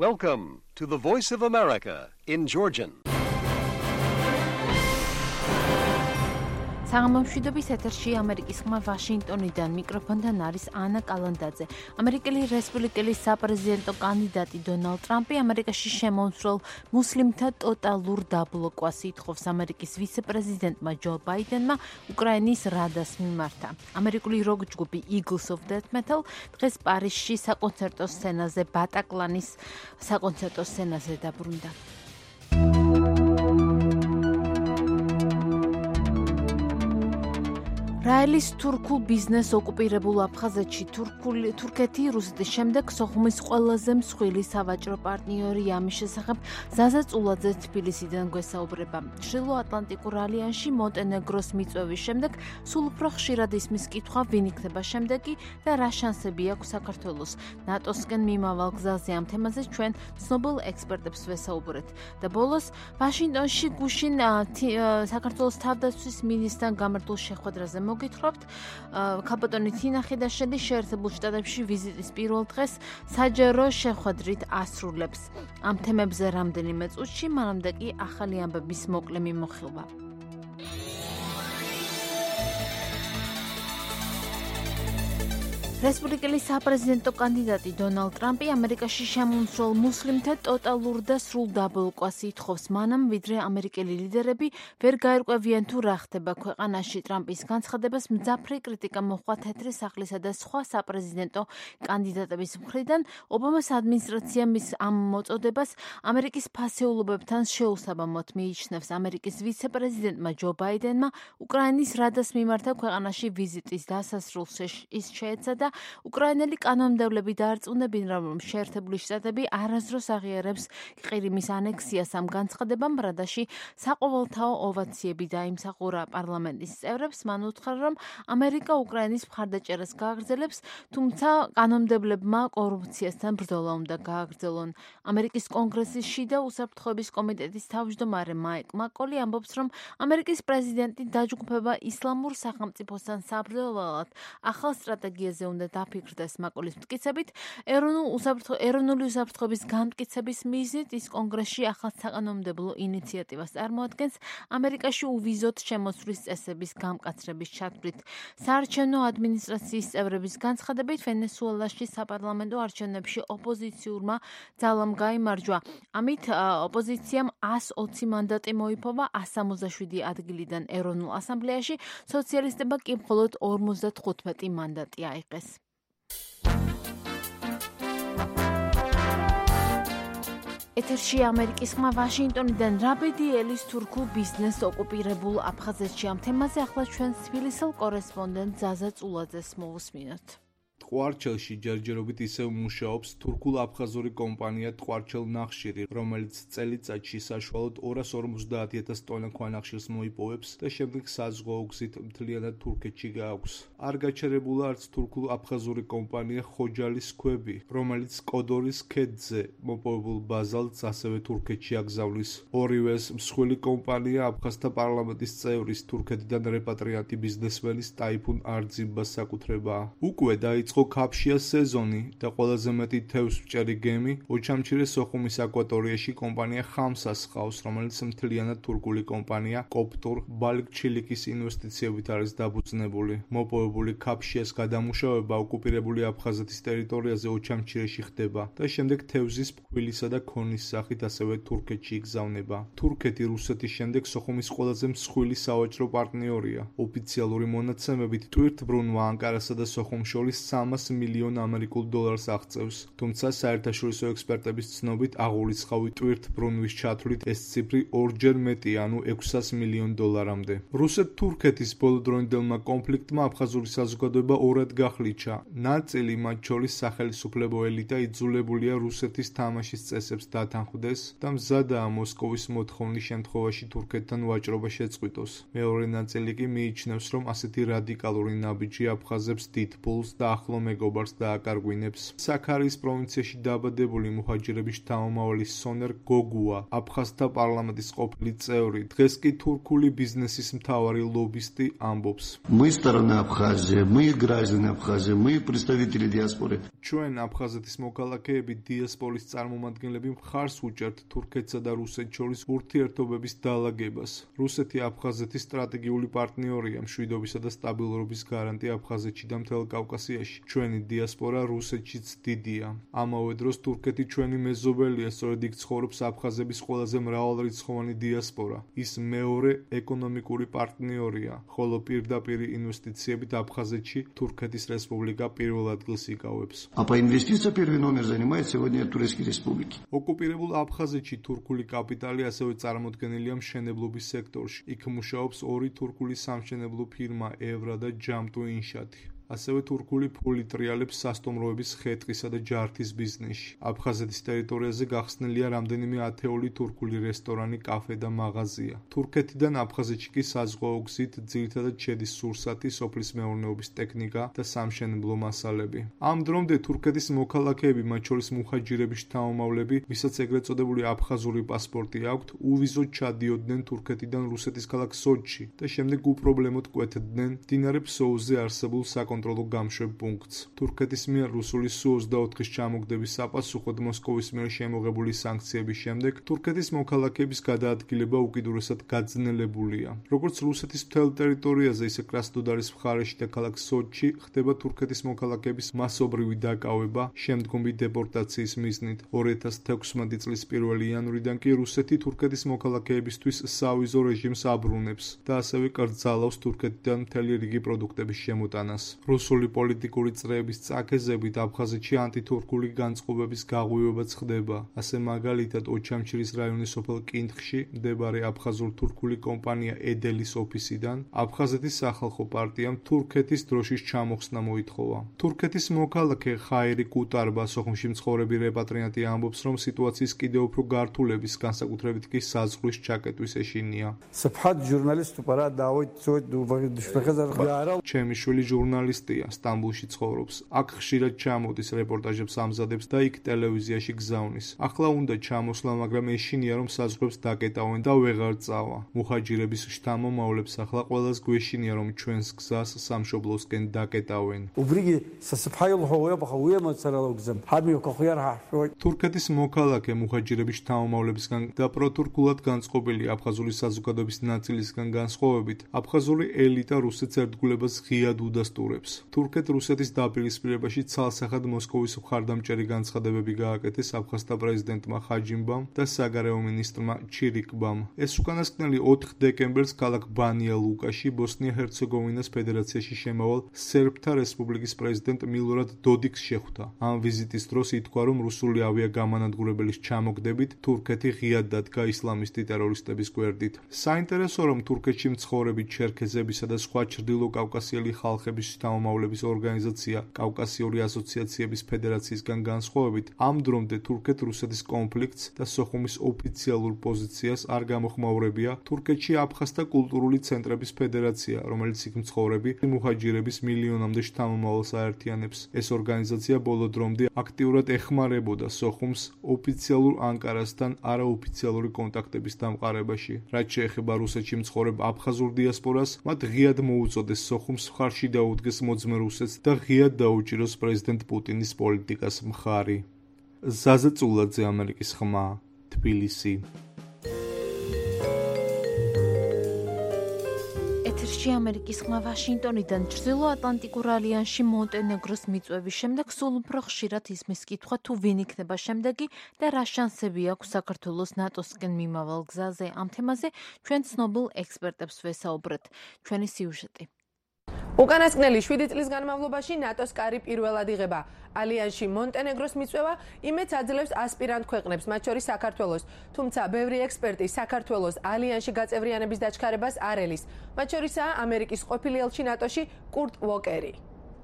Welcome to the Voice of America in Georgian. საღამომშვიდობის ეთერში ამერიკის ხმა ვაშინგტონიდან მიკროფონთან არის ანა კალანდაძე. ამერიკელი რესპუბლიკელი საპრეზიდენტო კანდიდატი დონალდ ტრამპი ამერიკაში შემომსვლელ მუსლიმთა ტოტალურ დაბლოკვას ითხოვს ამერიკის ვიცე-პრეზიდენტმა ჯო ბაიდენმა უკრაინის რადას მიმართა. ამერიკული როკ ჯგუფი Eagles of Death Metal დღეს პარიზში საკონცერტო სცენაზე ბატაკლანის საკონცერტო სცენაზე დაბრუნდა. რაელის თურქულ ბიზნეს ოკუპირებულ აფხაზეთში თურქეთი რუსეთის შემდეგ სოხუმის ყველაზე მსხვილი სავაჭრო პარტნიორი ამის შესახებ ზაზა წულაძე თბილისიდან გვესაუბრება. ჩრდილო-ატლანტიკურ ალიანსში მონტენეგროს მიწვევის შემდეგ სულ უფრო ხშირად ისმის კითხვა ვინ იქნება შემდეგი და რა შანსები აქვს საქართველოს. ნატოსკენ მიმავალ გზაზე ამ თემაზე ჩვენ ცნობილ ექსპერტებს ვესაუბრეთ. და ბოლოს ვაშინგტონში გუშინ საქართველოს თავდაცვის მინისტრთან გამართულ შეხვედრაზე მოგითხრობთ. ქალბატონი თინა ხიდაშელი შეერთებულ შტატებში ვიზიტის პირველ დღეს საჯარო შეხვედრით ასრულებს. ამ თემებზე რამდენიმე წუთში, მანამდე კი ახალი ამბების მოკლე მიმოხილვა. რესპუბლიკელი საპრეზიდენტო კანდიდატი დონალდ ტრამპი ამერიკაში შემომსვლელ მუსლიმთა ტოტალურ და სრულ დაბლოკვას ითხოვს მანამ, ვიდრე ამერიკელი ლიდერები ვერ გაერკვევიან თუ რა ხდება ქვეყანაში. ტრამპის განცხადებას მძაფრი კრიტიკა მოჰყვა თეთრი სახლისა და სხვა საპრეზიდენტო კანდიდატების მხრიდან. ობამას ადმინისტრაციამ მის ამ მოწოდებას ამერიკის ფასეულობებთან შეუსაბამოდ მიიჩნევს. ამერიკის ვიცე-პრეზიდენტმა ჯო ბაიდენმა უკრაინის რადას მიმართა ქვეყანაში ვიზიტის დასასრულს ის შეეცადა უკრაინელი კანონმდებლები დაარწმუნებენ, რომ შეერთებული შტატები არასდროს აღიარებს ყირიმის ანექსიას. ამ განცხადებამ რადაში საყოველთაო ოვაციები დაიმსახურა პარლამენტის წევრებს. მან უთხრა, რომ ამერიკა უკრაინის მხარდაჭერას გააგრძელებს, თუმცა კანონმდებლებმა კორუფციასთან ბრძოლა უნდა გააგრძელონ. ამერიკის კონგრესის შიდა უსაფრთხოების კომიტეტის თავმჯდომარე მაიკ მაკოლი ამბობს, რომ ამერიკის პრეზიდენტი დაჯგუფება ისლამურ სახელმწიფოსთან საბრძოლველად ახალ სტრატეგიაზე უნდა დაფიქრდეს. მაკოლის მტკიცებით, ეროვნული უსაფრთხოების განმტკიცების მიზნით ის კონგრესში ახალ საკანონმდებლო ინიციატივას წარმოადგენს ამერიკაში უვიზოდ შემოსვლის წესების გამკაცრების ჩათვლით. საარჩევნო ადმინისტრაციის წევრების განცხადებით, ვენესუელაში საპარლამენტო არჩევნებში ოპოზიციურმა ძალამ გაიმარჯვა. ამით ოპოზიციამ 120 მანდატი მოიპოვა 167 ადგილიდან ეროვნულ ასამბლეაში, სოციალისტებმა კი მხოლოდ 55 მანდატი აიღეს. ეთერში ამერიკის ხმა ვაშინგტონიდან რაბედიელის თურქულ ბიზნეს ოკუპირებულ აფხაზეთში. ამ თემაზე ახლა ჩვენ თბილისელ კორესპონდენტ ზაზა წულაძეს მოვუსმინოთ. ტყვარჩელში ჯერჯერობით ისევ მუშაობს თურქულ-აფხაზური კომპანია ტყვარჩელ ნახშირი, რომელიც წელიწადში საშუალოდ 250,000 ტონა ქვანახშირს მოიპოვებს და შემდეგ საზღვაო გზით მთლიანად თურქეთში გააქვს. არ გაჩერებულა არც თურქულ-აფხაზური კომპანია ხოჯალის ქვები, რომელიც კოდორის ქედზე მოპოვებულ ბაზალტს ასევე თურქეთში აგზავნის. ორივეს მსხვილი კომპანია აფხაზთა პარლამენტის წევრის თურქეთიდან რეპატრიანტი ბიზნესმენის ტაიფუნ არძიბას საკუთრებაა. უკვე დაიწყო ქაფშია სეზონი და ყველაზე მეტი თევზს მჭერი გემი ოჩამჩირე სოხუმის აკვატორიაში კომპანია ხამსას ჰყავს, რომელიც მთლიანად თურქული კომპანია კოპტურ ბალიქ-ჩილიკის ინვესტიციებით არის დაფუძნებული. მოპოვებული ქაფშიას გადამუშავება ოკუპირებული აფხაზეთის ტერიტორიაზე ოჩამჩირეში ხდება და შემდეგ თევზის ფქვილისა და ქონის სახით ასევე თურქეთში იგზავნება. თურქეთი რუსეთის შემდეგ სოხუმის ყველაზე მსხვილი სავაჭრო პარტნიორია. ოფიციალური მონაცემებით ტვირთბრუნვა ანკარასა და სოხუმს შორის 300 მილიონ ამერიკულ დოლარს აღწევს, თუმცა საერთაშორისო ექსპერტების ცნობით აღურიცხავი ტვირთბრუნვის ჩათვლით ეს ციფრი ორჯერ მეტი, ანუ 600 მილიონ დოლარამდე. რუსეთ-თურქეთის ბოლოდროინდელმა კონფლიქტმა აფხაზური საზოგადოება ორად გახლიჩა. ნაწილი, მათ შორის სახელისუფლებო ელიტა, იძულებულია რუსეთის თამაშის წესებს დათანხმდეს და მზადაა მოსკოვის მოთხოვნის შემთხვევაში თურქეთთან ვაჭრობა შეწყვიტოს. მეორე ნაწილი კი მიიჩნევს, რომ ასეთი რადიკალური ნაბიჯი აფხაზებს დიდ ფულს და ახლო მეგობარს დააკარგვინებს. საქარიის პროვინციაში დაბადებული მუჰაჯირების შთამომავალი სონერ გოგუა, აფხაზთა პარლამენტის ყოფილი წევრი, დღეს კი თურქული ბიზნესის მთავარი ლობისტი ამბობს. Мы сторона Абхазии, мы граждане Абхазии, мы представители диаспоры. ჩვენ აფხაზეთის მოქალაქეები დიასპორის წარმომადგენლები მხარს უჭერთ თურქეთსა და რუსეთს შორის ურთიერთობების დალაგებას. რუსეთი აფხაზეთის სტრატეგიული პარტნიორია, მშვიდობისა და სტაბილურობის გარანტი აფხაზეთში და მთელ კავკასიაში. ჩვენი დიასპორა რუსეთშიც დიდია. ამავე დროს თურქეთი ჩვენი მეზობელია, სწორედ იქ ცხოვრობს აფხაზების ყველაზე მრავალრიცხოვანი დიასპორა. ის მეორე ეკონომიკური პარტნიორია, ხოლო პირდაპირი ინვესტიციებით აფხაზეთში თურქეთის რესპუბლიკა პირველ ადგილს იკავებს. А по инвестициям первый номер занимает сегодня Турецкие республики. ოკუპირებულ აფხაზეთში თურქული კაპიტალი ასევე წარმოდგენილია მშენებლობის სექტორში. იქ მუშაობს ორი თურქული სამშენებლო ფირმა ევრა და ჯამტუ ინშათი. ასევე თურქული ფული ტრიალებს სასტუმროების ხეტყისა და ჯართის ბიზნესში. აფხაზეთის ტერიტორიაზე გახსნილია რამდენიმე ათეული თურქული რესტორანი, კაფე და მაღაზია. თურქეთიდან აფხაზეთში კი საზღვაო გზით ძირითადად შედის სურსათი, სოფლის მეურნეობის ტექნიკა და სამშენებლო მასალები. ამ დრომდე თურქეთის მოქალაქეები, მათ შორის მუჰაჯირების შთამომავლები, ვისაც ეგრეთ წოდებული აფხაზური პასპორტი აქვთ, უვიზოდ ჩადიოდნენ თურქეთიდან რუსეთის ქალაქ სოჩში და შემდეგ უპრობლემოდ კვეთდნენ მდინარე ფსოუზე არსებულ საკონტროლო გამშვებ პუნქტს. თურქეთის მიერ რუსული Su-24-ის ჩამოგდების საპასუხოდ მოსკოვის მიერ შემოღებული სანქციების შემდეგ თურქეთის მოქალაქეების გადაადგილება უკიდურესად გაძნელებულია. როგორც რუსეთის მთელ ტერიტორიაზე, ისე კრასნოდარის მხარეში და ქალაქ სოჩში ხდება თურქეთის მოქალაქეების მასობრივი დაკავება შემდგომი დეპორტაციის მიზნით. 2016 წლის 1 იანვრიდან კი რუსეთი თურქეთის მოქალაქეებისთვის სავიზო რეჟიმს აბრუნებს და ასევე კრძალავს თურქეთიდან მთელი რიგი პროდუქტების შემოტანას. რუსული პოლიტიკური წრეების წაქეზებით აფხაზეთში ანტითურქული განწყობების გაღვივებაც ხდება. ასე მაგალითად, ოჩამჩირის რაიონის სოფელ კინთხში მდებარე აფხაზურ-თურქული კომპანია ედელის ოფისიდან აფხაზეთის სახალხო პარტიამ თურქეთის დროშის ჩამოხსნა მოითხოვა. თურქეთის მოქალაქე ხაირი კუტარბა, სოხუმში მცხოვრები რეპატრიანტი ამბობს, რომ სიტუაციის კიდევ უფრო გართულების, განსაკუთრებით კი საზღვრის ჩაკეტვის ეშინია. ჩემი შვილი ჟურნალისტია, სტამბულში ცხოვრობს. აქ ხშირად ჩამოდის, რეპორტაჟებს ამზადებს და იქ ტელევიზიაში გზავნის. ახლა უნდა ჩამოსვლა, მაგრამ ეშინია, რომ საზღვრებს დაკეტავენ და ვეღარ წავა. მუჰაჯირების შთამომავლებს ახლა ყველას გვეშინია, რომ ჩვენს გზას სამშობლოსკენ დაკეტავენ. თურქეთის მოქალაქე მუჰაჯირების შთამომავლებისგან და პროთურქულად განწყობილი აფხაზური საზოგადოების ნაწილისგან განსხვავებით, აფხაზური ელიტა რუსეთს ერთგულებას ღიად უდასტურებს. თურქეთ-რუსეთის დაპირისპირებაში ცალსახად მოსკოვის მხარდამჭერი განცხადებები გააკეთეს აფხაზთა პრეზიდენტმა ხაჯიმბამ და საგარეო მინისტრმა ჩირიკბამ. ეს უკანასკნელი 4 დეკემბერს ქალაქ ბანია ლუკაში ბოსნია-ჰერცეგოვინას ფედერაციაში შემავალ სერბთა რესპუბლიკის პრეზიდენტ მილორად დოდიკს შეხვდა. ამ ვიზიტის დროს ითქვა, რომ რუსული ავიაგამანადგურებელის ჩამოგდებით თურქეთი ღიად დადგა ისლამისტი ტერორისტების გვერდით. საინტერესოა, რომ თურქეთში მცხოვრები ჩერქეზებისა და სხვა ჩრდილო კავკასიელი ხალხების შთამომავლების ორგანიზაცია კავკასიური ასოციაციების ფედერაციისგან განსხვავებით, ამ დრომდე თურქეთ-რუსეთის კონფლიქტს და სოხუმის ოფიციალურ პოზიციას არ გამოხმაურებია თურქეთში აფხაზთა კულტურული ცენტრების ფედერაცია, რომელიც იქ მცხოვრები მუჰაჯირების მილიონამდე შთამომავალს აერთიანებს. ეს ორგანიზაცია ბოლო დრომდე აქტიურად ეხმარებოდა სოხუმს ოფიციალურ ანკარასთან არაოფიციალური კონტაქტების დამყარებაში. რაც შეეხება რუსეთში მცხოვრებ აფხაზურ დიასპორას, მათ ღიად მოუწოდეს სოხუმს მხარში დაუდგეს მოძმე რუსეთს და ღიად დაუჭიროს პრეზიდენტ პუტინის პოლიტიკას მხარი. ზაზა წულაძე, ამერიკის ხმა, თბილისი. ეთერში ამერიკის ხმა ვაშინგტონიდან. ჩრდილოატლანტიკურ ალიანსში მონტენეგროს მიწვევის შემდეგ სულ უფრო ხშირად ისმის კითხვა, თუ ვინ იქნება შემდეგი და რა შანსები აქვს საქართველოს ნატოსკენ მიმავალ გზაზე. ამ თემაზე ჩვენ ცნობილ ექსპერტებს ვესაუბრეთ. ჩვენი სიუჟეტი. უკანასკნელი 7 წლის განმავლობაში ნატოს კარი პირველად იღება. ალიანსში მონტენეგროს მიწვევა იმედს აძლევს ასპირანტ ქვეყნებს, მათ შორის საქართველოს. თუმცა ბევრი ექსპერტი საქართველოს ალიანსში გაწევრიანების დაჩქარებას არ ელის. მათ შორისაა ამერიკის ყოფილი ელჩი ნატოში კურტ ვოკერი.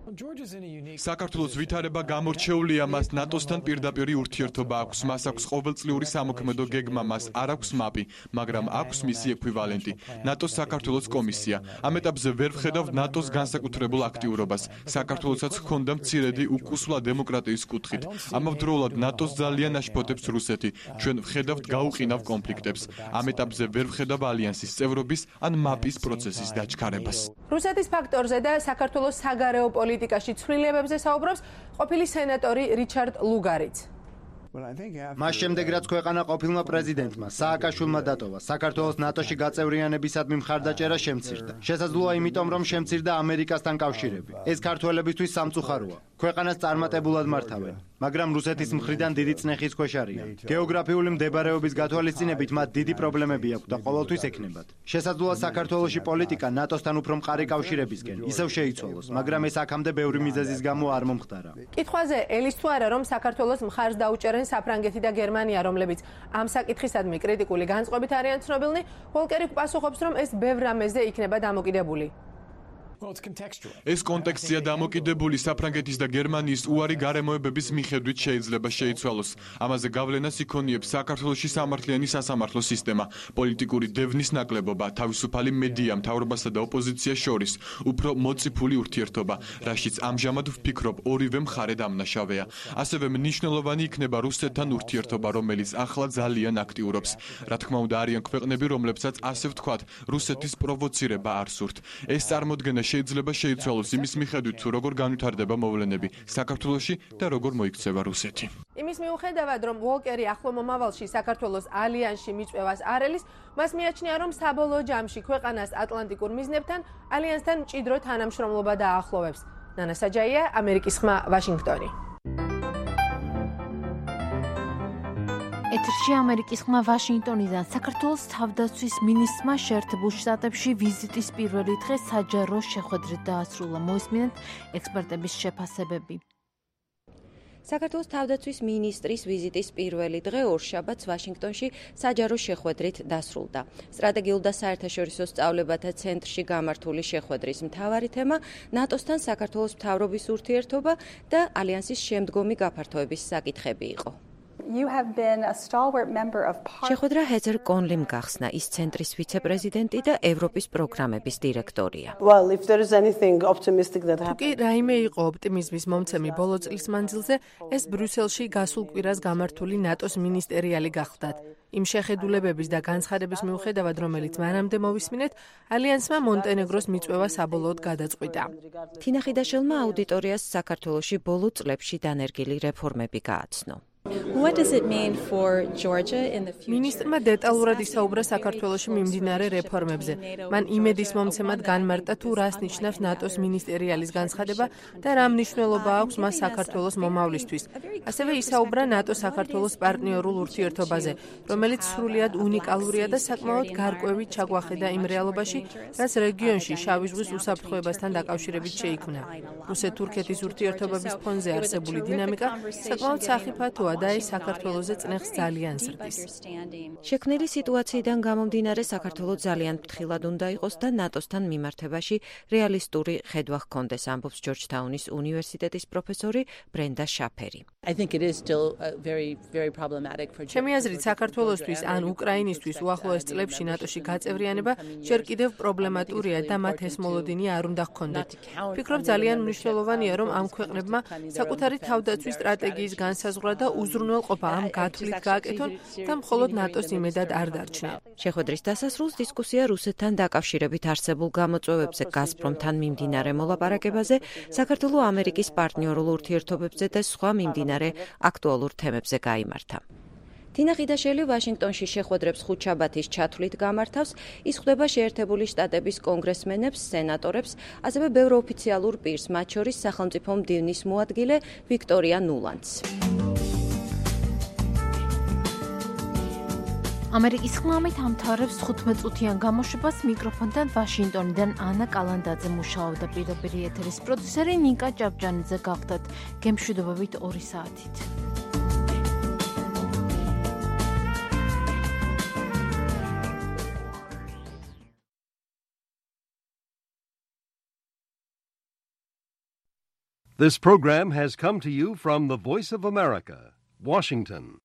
საქართველოს ვითარება გამორჩეულია, მას ნატოსთან პირდაპირი ურთიერთობა აქვს, მას აქვს ყოველწლიური სამოქმედო გეგმა, მას არ აქვს მაპი, მაგრამ აქვს მისი ექვივალენტი, ნატოს საქართველოს კომისია. ამ ეტაპზე ვერ ვხედავთ ნატოს განსაკუთრებულ აქტიურობას. საქართველოსაც ჰქონდა მცირედი უკუსვლა დემოკრატიის კუთხით. ამავდროულად ნატოს ძალიან აშფოთებს რუსეთი. ჩვენ ვხედავთ გაუყინავ კონფლიქტებს. ამ ეტაპზე ვერ ვხედავ ალიანსის წევრობის ან მაპის პროცესის დაჩქარებას. რუსეთის ფაქტორზე და საქართველოს საგარეო პოლიტიკაში ცვლილებებზე საუბრობს ყოფილი სენატორი რიჩარდ ლუგარიც. მას შემდეგ რაც ქვეყანა ყოფილმა პრეზიდენტმა სააკაშვილმა დატოვა, საქართველოს ნატოში გაწევრიანებისადმი მხარდაჭერა შემცირდა. შესაძლოა იმიტომ, რომ შემცირდა ამერიკასთან კავშირები. ეს ქართველებისთვის სამწუხაროა. ქვეყანას წარმატებულად მართავენ, მაგრამ რუსეთის მხრიდან დიდი წნეხის ქვეშ არიან. გეოგრაფიული მდებარეობის გათვალისწინებით მათ დიდი პრობლემები აქვს და ყოველთვის ექნებათ. შესაძლოა საქართველოში პოლიტიკა ნატოსთან უფრო მყარი კავშირებისკენ ისევ შეიცვალოს, მაგრამ ეს აქამდე ბევრი მიზეზის გამო არ მომხდარა. კითხვაზე ელის თუ არა, რომ საქართველოს მხარს დაუჭერენ საფრანგეთი და გერმანია, რომლებიც ამ საკითხისადმი კრიტიკული განწყობით არიან ცნობილნი, ვოლკერი პასუხობს, რომ ეს ბევრ რამეზე იქნება დამოკიდებული. ეს კონტექსტია დამოკიდებული საფრანგეთის და გერმანიის უარი გარემოებების მიხედვით შეიძლება შეიცვალოს. ამაზე გავლენას იქონიებს საქართველოში სამართლიანი სასამართლო სისტემა, პოლიტიკური დევნის ნაკლებობა, თავისუფალი მედია, მთავრობასა და ოპოზიციას შორის, უფრო მოწიფული ურთიერთობა, რაშიც ამჟამად ვფიქრობ ორივე მხარე დამნაშავეა. ასევე მნიშვნელოვანი იქნება რუსეთთან ურთიერთობა, რომელიც ახლა ძალიან აქტიურობს. რა თქმა უნდა, არიან ქვეყნები, რომლებსაც ასე ვთქვათ, რუსეთის პროვოცირება არ სურთ. ეს წარმოდგენა შეიძლება შეიცვალოს იმის მიხედვით, თუ როგორ განვითარდება მოვლენები საქართველოში და როგორ მოიქცევა რუსეთი. იმის მიუხედავად, რომ ვოლკერი ახლო მომავალში საქართველოს ალიანსში მიწვევას არ ელის, მას მიაჩნია, რომ საბოლოო ჯამში ქვეყანას ატლანტიკურ მიზნებთან ალიანსთან მჭიდრო თანამშრომლობა დაახლოვებს. ნანა საჯაია, ამერიკის ხმა, ვაშინგტონი. ეთერში ამერიკის ხმა ვაშინგტონიდან. საქართველოს თავდაცვის მინისტრმა შეერთებულ შტატებში ვიზიტის პირველი დღე საჯარო შეხვედრით დაასრულა. მოისმინეთ ექსპერტების შეფასებები. საქართველოს თავდაცვის მინისტრის ვიზიტის პირველი დღე ორშაბათს ვაშინგტონში საჯარო შეხვედრით დასრულდა. სტრატეგიულ და საერთაშორისო სწავლებათა ცენტრში გამართული შეხვედრის მთავარი თემა ნატოსთან საქართველოს მთავრობის ურთიერთობა და ალიანსის შემდგომი გაფართოების საკითხები იყო. შეხვედრა ჰეზერ კონლიმ გახსნა, ის ცენტრის ვიცე-პრეზიდენტი და ევროპის პროგრამების დირექტორია. თუკი რაიმე იყო ოპტიმიზმის მომცემი ბოლო წლის მანძილზე, ეს ბრიუსელში გასულ კვირას გამართული ნატოს მინისტერიალი გახლდათ. იმ შეხედულებების და განცხადების მიუხედავად, რომელიც მანამდე მოვისმინეთ, ალიანსმა მონტენეგროს მიწვევა საბოლოოდ გადაწყვიტა. თინა ხიდაშელმა აუდიტორიას საქართველოში ბოლო წლებში დანერგილი რეფორმები გააცნო. მინისტრმა დეტალურად ისაუბრა საქართველოში მიმდინარე რეფორმებზე. მან იმედის მომცემად განმარტა, თუ რას ნიშნავს ნატოს მინისტერიალის განცხადება და რა მნიშვნელობა აქვს მას საქართველოს მომავლისთვის. ასევე ისაუბრა ნატო-საქართველოს პარტნიორულ ურთიერთობაზე, რომელიც სრულიად უნიკალურია და საკმაოდ გარკვევი ჩაგვახედა იმ რეალობაში, რაც რეგიონში შავი ზღვის უსაფრთხოებასთან დაკავშირებით შეიქმნა. რუსეთ-თურქეთის ურთიერთობების ფონზე არსებული დინამიკა საკმაოდ სახიფათოა და ის საქართველოზე წნეხს ძალიან ზრდის. შექმნილი სიტუაციიდან გამომდინარე, საქართველოს ძალიან ფრთხილად უნდა იყოს და ნატოსთან მიმართებაში რეალისტური ხედვა ჰქონდეს, ამბობს ჯორჯთაუნის უნივერსიტეტის პროფესორი ბრენდა შაფერი. ჩემი აზრით, საქართველოსთვის ან უკრაინისთვის უახლოეს წლებში ნატოში გაწევრიანება ჯერ კიდევ პრობლემატურია და მათ ეს მოლოდინი არ უნდა ჰქონდეთ. ვფიქრობ, ძალიან მნიშვნელოვანია, რომ ამ ქვეყნებმა საკუთარი თავდაცვის სტრატეგიის განსაზღვრა და უზრუნველყოფა ამ გათვლით გააკეთონ და მხოლოდ ნატოს იმედად არ დარჩნენ. შეხვედრის დასასრულს დისკუსია რუსეთთან დაკავშირებით არსებულ გამოწვევებზე, გაზპრომთან მიმდინარე მოლაპარაკებაზე, საქართველო-ამერიკის პარტნიორულ ურთიერთობებზე და სხვა მიმდინარე აქტუალურ თემებზე გაიმართა. თინა ხიდაშელი ვაშინგტონში შეხვედრებს ხუთშაბათის ჩათვლით გამართავს, ის ხვდება შეერთებული შტატების კონგრესმენებს, სენატორებს, ასევე ბევრ ოფიციალურ პირს, მათ შორის სახელმწიფო მდივნის მოადგილე ვიქტორია ნულანდს. ამერიკის ხმამით ამთავრებს 15 წუთიან გამოშვებას. მიკროფონთან ვაშინგტონიდან ანა კალანდაძე მუშაობდა, პირდაპირ ეთერის პროდიუსერი ნიკა ჭავჭანიძე გახდათ. გემშვიდობებით 2 საათით. This program has come to you from the Voice of America, Washington.